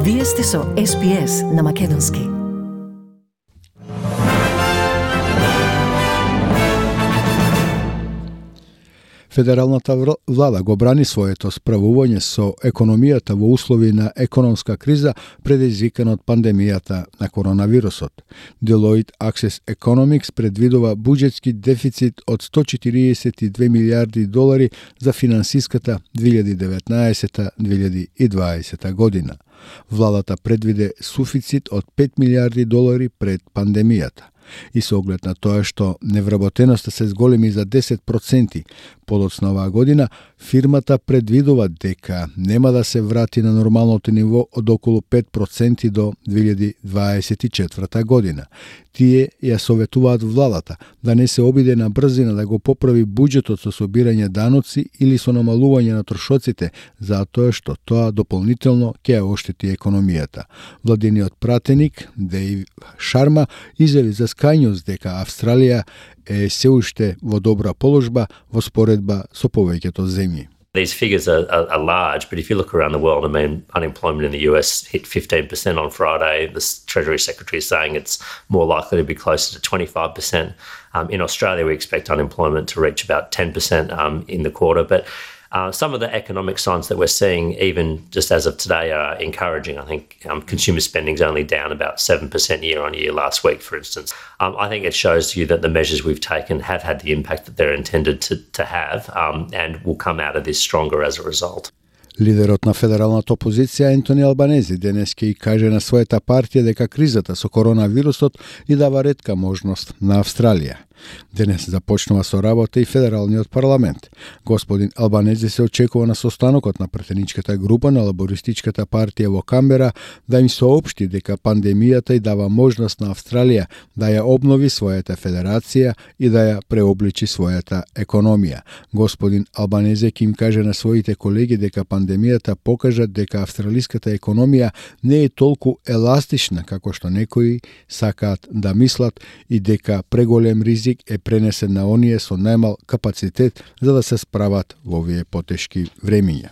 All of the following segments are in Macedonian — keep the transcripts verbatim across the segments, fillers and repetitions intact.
Вие сте со Ес Би Ес на Македонски. Федералната влада го брани своето справување со економијата во услови на економска криза предизвикана од пандемијата на коронавирусот. Deloitte Access Economics предвидува буџетски дефицит од сто четиридесет и две милијарди долари за финансиската две илјади и деветнаесета - две илјади и дваесета година. Владата предвиде суфицит од пет милијарди долари пред пандемијата. И со оглед на тоа што невработеноста се зголеми за десет проценти подоцна оваа година, фирмата предвидува дека нема да се врати на нормалното ниво од околу пет проценти до две илјади дваесет и четврта година. Тие ја советуваат владата да не се обиде на брзина да го поправи буџетот со собирање даноци или со намалување на трошоците, затоа што тоа дополнително ќе ја оштети економијата. Владиниот пратеник Дејв Шарма изјави за Sky News дека Австралија е се уште во добра положба во споредба со повеќето земји. These figures are, are, are large, but if you look around the world, I mean, unemployment in the U S hit fifteen percent on Friday. The Treasury Secretary is saying it's more likely to be closer to twenty-five percent. Um, in Australia, we expect unemployment to reach about ten percent um, in the quarter. But uh, some of the economic signs that we're seeing, even just as of today, are encouraging. I think um, consumer spending is only down about seven percent year on year last week, for instance. Um, I think it shows you that the measures we've taken have had the impact that they're intended to, to have um, and will come out of this stronger as a result. Лидерот на федералната опозиција Ентони Албанези денес ќе и каже на својата партија дека кризата со коронавирусот и дава ретка можност на Австралија. Денес започнува со работа и федералниот парламент. Господин Албанези се очекува на состанокот на претеничката група на лабористичката партија во Камбера да им соопшти дека пандемијата и дава можност на Австралија да ја обнови својата федерација и да ја преобличи својата економија. Господин Албанези ќе им каже на своите колеги дека пандемијата покажа дека австралиската економија не е толку еластична како што некои сакаат да мислат и дека преголем ризик е пренесен на оние со најмал капацитет за да се справат во овие потешки времиња.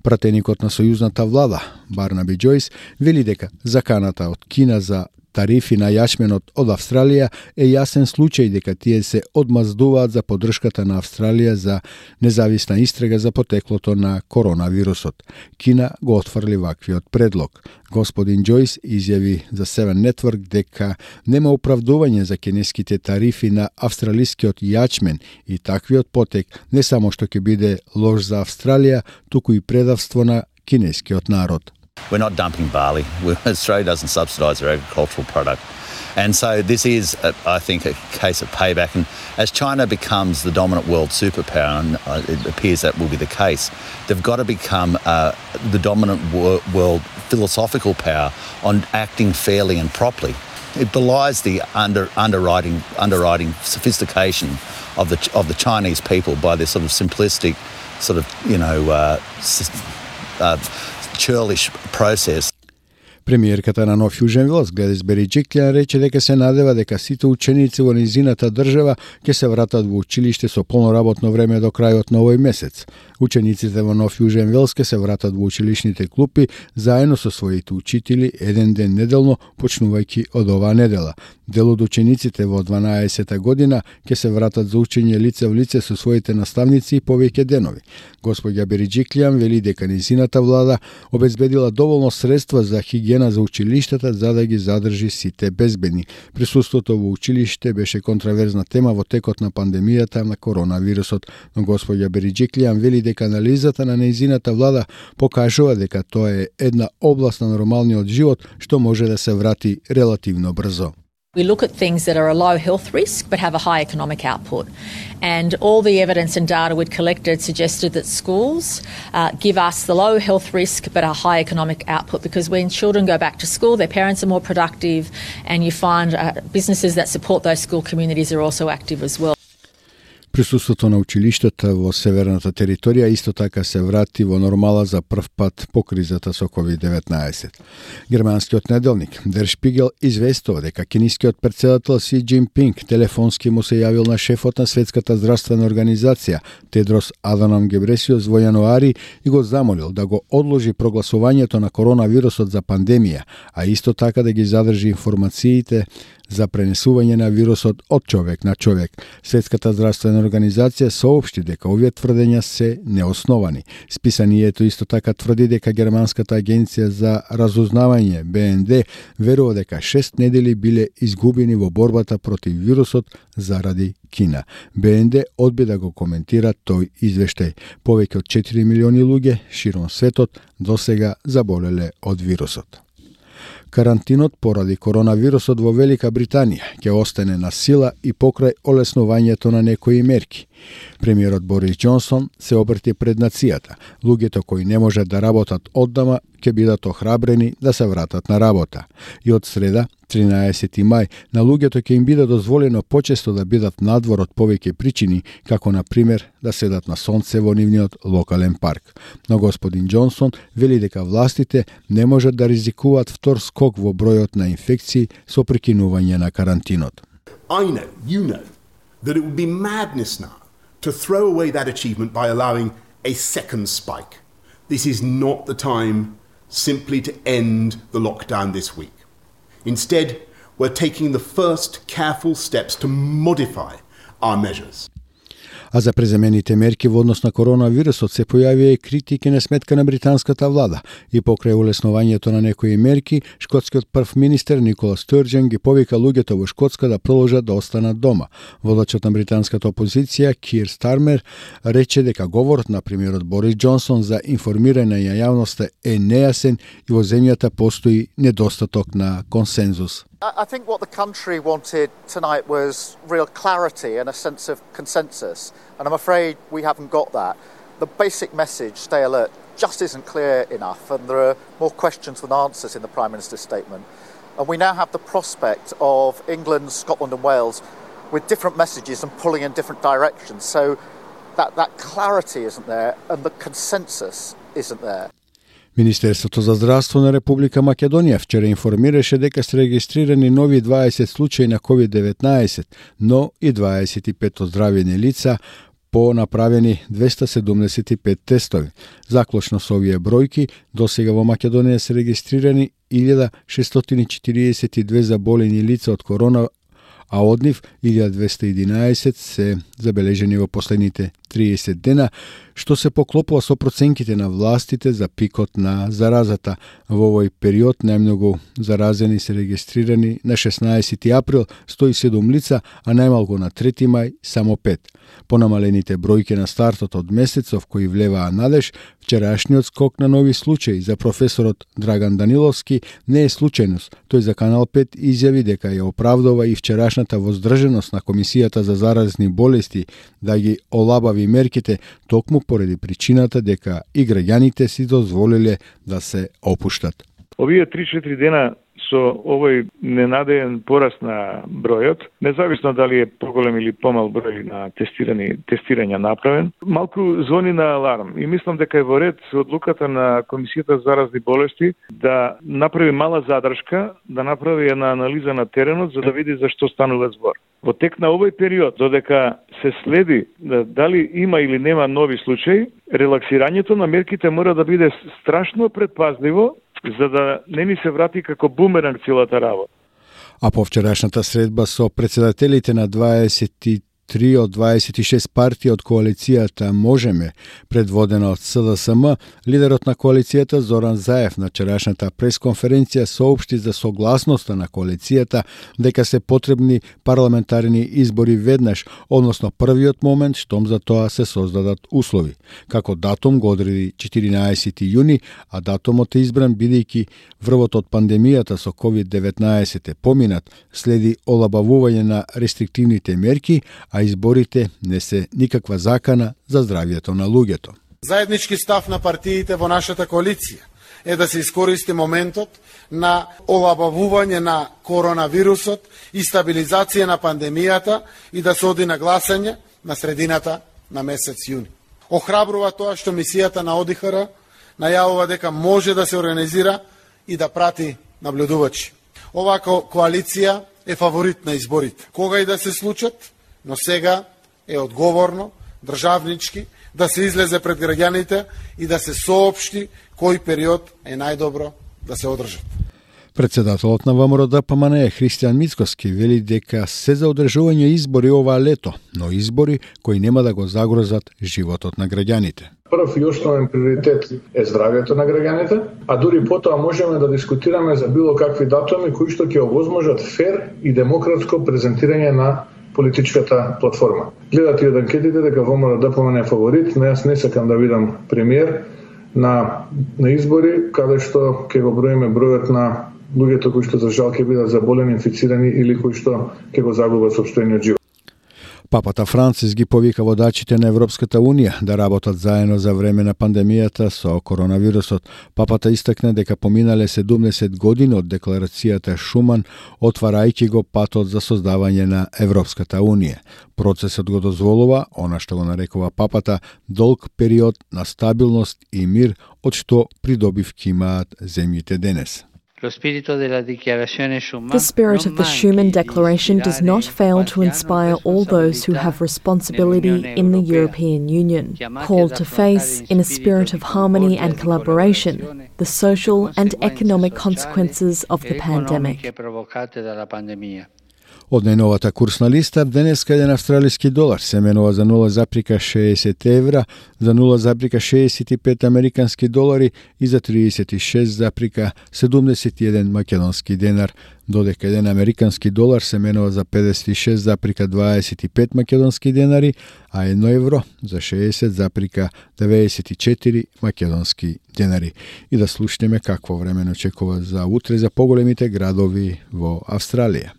Пратеникот на сојузната влада, Барнаби Џојс, вели дека заканата од Кина за тарифи на јачменот од Австралија е јасен случај дека тие се одмаздуваат за поддршката на Австралија за независна истрага за потеклото на коронавирусот. Кина го отфрли ваквиот предлог. Господин Џојс изјави за Seven Network дека нема оправдување за кинеските тарифи на австралискиот јачмен и таквиот потек не само што ќе биде лош за Австралија, туку и предавство на кинескиот народ. We're not dumping barley. Australia doesn't subsidise our agricultural product. And so this is, a, I think, a case of payback. And as China becomes the dominant world superpower, and it appears that will be the case, they've got to become uh, the dominant wor- world philosophical power on acting fairly and properly. It belies the under, underwriting, underwriting sophistication of the of the Chinese people by this sort of simplistic, sort of, you know, uh, uh, churlish process. Премиерката на Нов Јужен Велс, Гледис Бериџиклијан, рече дека се надева дека сите ученици во низината држава ќе се вратат во училиште со полно работно време до крајот на овој месец. Учениците во Нов Јужен Велс ќе се вратат во училишните клупи заедно со своите учители еден ден неделно, почнувајќи од оваа недела. Дел од учениците во дванаесета година ќе се вратат за учење лице во лице со своите наставници и повеќе денови. Господја Бериџиклијан вели дека низината влада обезбедила доволно средства за хигиена за училиштата за да ги задржи сите безбедни. Присуството во училиште беше контраверзна тема во текот на пандемијата на коронавирусот, но господја Бериџиклијан вели дека анализата на низината влада покажува дека тоа е една област на нормалниот живот што може да се врати релативно брзо. We look at things that are a low health risk but have a high economic output. And all the evidence and data we'd collected suggested that schools uh, give us the low health risk but a high economic output, because when children go back to school, their parents are more productive, and you find uh, businesses that support those school communities are also active as well. Присуството на училиштата во северната територија исто така се врати во нормала за прв пат по кризата со ковид деветнаесет. Германскиот неделник Der Spiegel известува дека кинискиот претседател Си Џинпинг телефонски му се јавил на шефот на Светската здравствена организација Тедрос Аданом Гебресиус во јануари и го замолил да го одложи прогласувањето на коронавирусот за пандемија, а исто така да ги задржи информациите за пренесување на вирусот од човек на човек. Светската здравствена организација соопшти дека овие тврдења се неосновани. Списанието исто така тврди дека германската агенција за разузнавање Б Н Д верува дека шест недели биле изгубени во борбата против вирусот заради Кина. Б Н Д одби да го коментира тој извештај. Повеќе од четири милиони луѓе широм светот досега заболеле од вирусот. Карантинот поради коронавирусот во Велика Британија ќе остане на сила и покрај олеснувањето на некои мерки. Премиерот Борис Џонсон се обрти пред нацијата. Луѓето кои не можат да работат оддама ќе бидат охрабрени да се вратат на работа. И од среда, тринаесети мај, на луѓето ќе им биде дозволено почесто да бидат надвор од повеќе причини, како на пример да седат на сонце во нивниот локален парк. Но господин Џонсон вели дека властите не можат да ризикуваат втор скок во бројот на инфекции со прекинување на карантинот. I know, you know, that it would be madness now to throw away that achievement by allowing a second spike. This is not the time simply to end the lockdown this week. Instead, we're taking the first careful steps to modify our measures. А за преземените мерки во однос на коронавирусот се појавија и критики на сметка на британската влада и покрај улеснувањето на некои мерки, шкотскиот прв министер Никола Стурџен ги повика луѓето во Шкотска да продолжат да останат дома. Водачот на британската опозиција Кир Стармер рече дека говорот на премиерот Борис Џонсон за информирање на јавноста е нејасен и во земјата постои недостаток на консензус. I think what the country wanted tonight was real clarity and a sense of consensus, and I'm afraid we haven't got that. The basic message, stay alert, just isn't clear enough, and there are more questions than answers in the Prime Minister's statement. And we now have the prospect of England, Scotland and Wales with different messages and pulling in different directions, so that, that clarity isn't there and the consensus isn't there. Министерството за здравство на Република Македонија вчера информираше дека се регистрирани нови дваесет случаи на ковид деветнаесет, но и дваесет и пет оздравени лица по направени двесте седумдесет и пет тестови. Заклучно со овие бројки, досега во Македонија се регистрирани илјада шестстотини четириесет и две заболени лица од корона, а од нив илјада двесте и единаесет се забележени во последните триесет дена, што се поклопува со проценките на властите за пикот на заразата. Во овој период најмногу заразени се регистрирани на шеснаесети април сто и седум лица, а најмалку на трети мај само пет. Понамалените бројки на стартот од месецов кои влеваа надеж, вчерашниот скок на нови случаи за професорот Драган Даниловски не е случајност. Тој за Канал пет изјави дека ја оправдува и вчерашната воздржаност на Комисијата за заразни болести да ги олабави мерките токму поради причината дека и граѓаните си дозволиле да се опуштат. Овие три-четири дена со овој ненадеен пораст на бројот, независно дали е поголем или помал број на тестирани тестирања направен, малку звони на аларм и мислам дека е во ред одлуката на Комисијата за заразни болести да направи мала задршка, да направи една анализа на теренот за да види за што станува збор. Во тек на овој период, додека се следи да, дали има или нема нови случаи, релаксирањето на мерките мора да биде страшно предпазливо, за да не ни се врати како бумеранг целата работа. А по вчерашната средба со председателите на дваесет и три од дваесет и шест партии од коалицијата Можеме, предводена од С Д С М, лидерот на коалицијата Зоран Заев на вчерашната пресконференција соопшти за согласноста на коалицијата дека се потребни парламентарни избори веднаш, односно првиот момент штом за тоа се создадат услови. Како датум го одреди четиринаесети јуни, а датумот е избран бидејќи врвот од пандемијата со ковид деветнаесет е поминат, следи олабавување на рестриктивните мерки, а изборите не се никаква закана за здравјето на луѓето. Заеднички став на партиите во нашата коалиција е да се искористи моментот на олабавување на коронавирусот и стабилизација на пандемијата и да се оди на гласање на средината на месец јуни. Охрабрува тоа што мисијата на О Д Х Р најавува дека може да се организира и да прати наблюдувачи. Оваа коалиција е фаворит на изборите. Кога и да се случат, но сега е одговорно, државнички, да се излезе пред граѓаните и да се соопшти кој период е најдобро да се одржат. Председателот на ВМРО Д П М Н Христијан Мицкоски вели дека се за одржување избори оваа лето, но избори кои нема да го загрозат животот на граѓаните. Прв и основен приоритет е здравјето на граѓаните, а дури потоа можеме да дискутираме за било какви датуми кои што ќе овозможат фер и демократско презентирање на политичката платформа. Гледате од анкетите дека ВМРО Д П М Н е фаворит, но јас не сакам да видам премиер на, на избори, каде што ќе го броиме бројот на луѓето кои што за жал ќе бидат заболени, инфицирани или кои што ќе го загубат сопствениот живот. Папата Францис ги повика водачите на Европската Унија да работат заедно за време на пандемијата со коронавирусот. Папата истакна дека поминале седумдесет години од декларацијата Шуман, отварајќи го патот за создавање на Европската Унија. Процесот го дозволува, она што го нарекува папата, долг период на стабилност и мир, од што придобивки имаат земјите денес. The spirit of the Schuman Declaration does not fail to inspire all those who have responsibility in the European Union, called to face, in a spirit of harmony and collaboration, the social and economic consequences of the pandemic. Од најновата курсна листа, денеска еден австралиски долар се менува за нула запирка шеесет евра, за нула запирка шеесет и пет американски долари и за триесет и шест запирка седумдесет и еден македонски денар, додека еден американски долар се менува за педесет и шест запирка дваесет и пет македонски денари, а едно евро за шеесет запирка деветдесет и четири македонски денари. И да слушнеме какво време очекува за утре за поголемите градови во Австралија.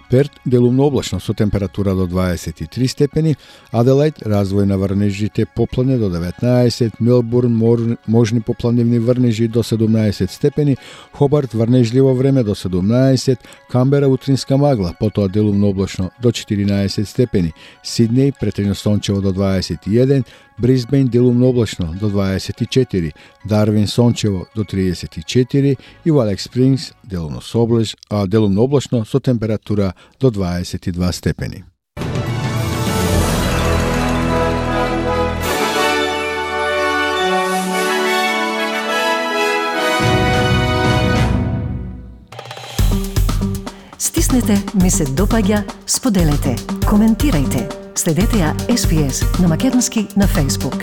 Перт делумно облачно со температура до дваесет и три степени, Аделајд развој на врнежите поплане до деветнаесет, Мелбурн можни попланивни врнежи до седумнаесет степени, Хобарт врнежливо време до седумнаесет, Камбера утринска магла, потоа делумно облачно до четиринаесет степени, Сиднеј претежно сончево до дваесет и еден, Брисбејн делумно облачно до дваесет и четири, Дарвин сончево до триесет и четири и во Алекс Спрингс делумно соблеж, а делумно облачно со температура до дваесет и два степени. Стиснете, ми се допаѓа, споделете, коментирајте. Следете ја Ес Би Ес на македонски на Facebook.